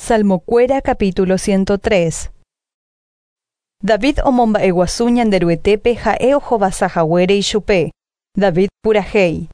Salmokuéra capítulo 103. David omomba'eguasu Ñanderuetépe ha'e ohovasahaguére ichupe. David purahéi.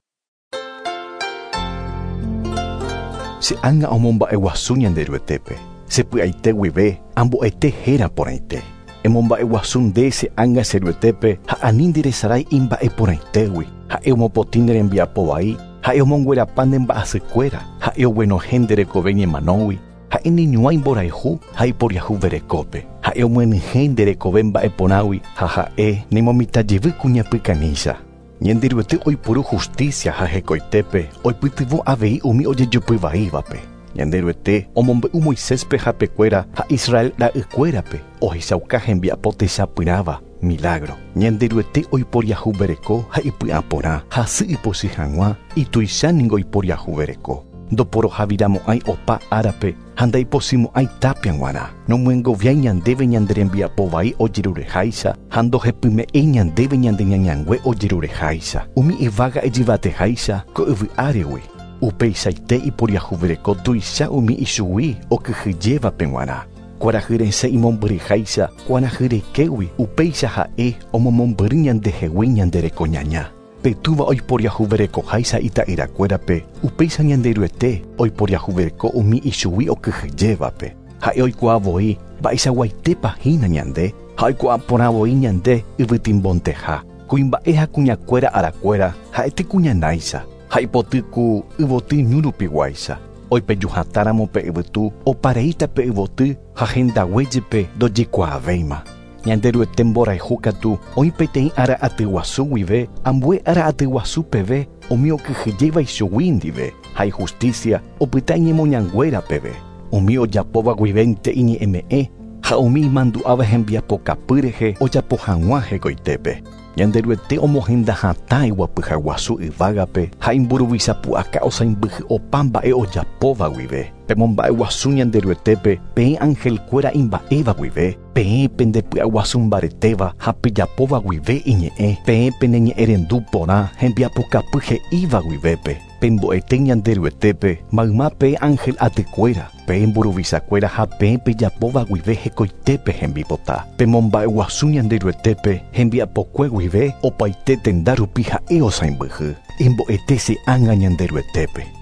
Che ánga omomba'eguasu Ñanderuetépe, che py'aite guive ambo'ete héra porãite. Emomba'eguasu nde che ánga che Ruetépe ha ani nderesarái imba'e porãitégui. Ha'e omopotĩ ne rembiapo vai, ha'e omonguerapa ne mba'asykuéra, ha'e oguenohẽ nde rekove ñemanógui, ha'e neñuãi mborayhu ha iporiahuverekópe. Ha'e omyenyhẽ nde rekove mba'e porãgui ha ha'e nemomitãjevy kuñapykanícha. Ñanderuete oiporu justicia ha hekoitépe oipytyvõ avei umi ojejopyvaívape. Ñanderuete omombe'u Moiséspe hapekuéra ha Israel ra'ykuérape ohechauka hembiapo techapyrãva milagro. Ñanderuete oiporiahuvereko ha ipy'aporã hasy ipochy hag̃ua ituicha ningo iporiahuvereko. Ndoporohaviramo'ãi opa árape ha ndaipochymo'ãi tapia g̃uarã. Nomyengoviái ñandéve ñande rembiapo vai ojerureháicha ha ndohepyme'ẽi ñandéve ñande ñañangue ojerureháicha. Umi yvága ijyvateháicha ko yvy áregui. Upeichaite iporiahuvereko tuicha umi ichugui okyhyjévape g̃uarã. Kuarahy resẽ imombyryháicha kuarahy rekégui upéicha ha'e omomombyry ñandehegui ñande rekoñaña. Pe túva oiporiahuverekoháicha ita'yrakuérape upéicha Ñanderuete oiporiahuvereko umi ichugui okyhyjévape. Ha'e oikuaa voi mba'eichaguaitépa hína ñande ha oikuaa porã voi ñande yvytimbonteha. Kuimba'e ha kuñakuéra arakuéra ha'ete kuñanáicha ha ipoty ku yvoty ñu rupiguáicha. Oipejuhatáramo pe yvytu opareíta pe yvoty ha hendaguéjepe ndojekuaavéima. Ñanderuete mborayhu katu oĩ peteĩ ára atyguasu guive ambue ára atyguasu peve umi okyhyjéva ichugui ndive ha ijusticia opyta iñemoñanguéra peve. Umi ojapóva guivénte iñe'ẽme'ẽ ha umi imandu'áva hembiapokapy rehe ojapo hag̃ua hekoitépe. Ñanderuete omohenda hatã iguapyhaguasu yvágape ha imburuvichapu'aka osãimbyhy opa mba'e ojapóva guive. Pemomba'eguasu Ñanderuetépe peẽ angelkuéra imba'éva guive, peẽ pendepy'aguasu mbaretéva ha pejapóva guive iñe'ẽ, peẽ peneñe'ẽrendu porã hembiapokapy he'íva guivépe. Pembo'ete Ñanderuetépe mayma peẽ ángel atykuéra, peẽ mburuvichakuéra ha peẽ pejapóva guive hekoitépe hembipota. Pemomba'eguasu Ñanderuetépe hembiapokue guive opaite tenda rupi ha'e osãimbyhy. Embo'ete che ánga Ñanderuetépe.